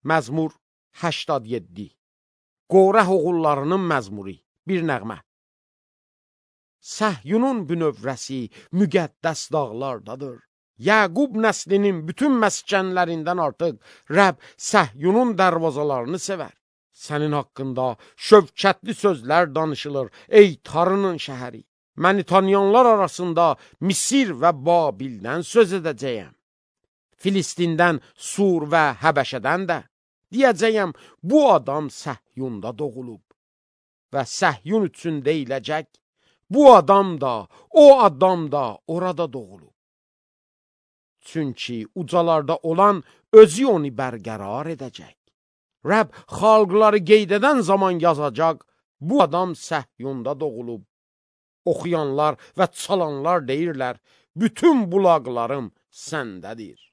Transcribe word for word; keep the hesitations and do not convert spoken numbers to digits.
Məzmur səksən yeddi. Qorah oğullarının məzmuri, bir nəğmə. Səhyunun bünövrəsi müqəddəs dağlardadır. Yaqub nəslinin bütün məskənlərindən artıq Rəbb Səhyunun dərvazalarını sevər. Sənin haqqında şövkətli sözlər danışılır, ey Tarının şəhəri. Məni tanıyanlar arasında Misir və Babildən söz edəcəyəm. Filistindən, Sur və Həbəşədən də. Deyəcəyəm, bu adam Səhyunda doğulub. Və Səhyun üçün deyiləcək, bu adam da, o adam da orada doğulub. Çünki ucalarda olan özü onu bərqərar edəcək. Rəbb xalqları qeyd edən zaman yazacaq, bu adam Səhyunda doğulub. Oxuyanlar və çalanlar deyirlər, bütün bulaqlarım səndədir.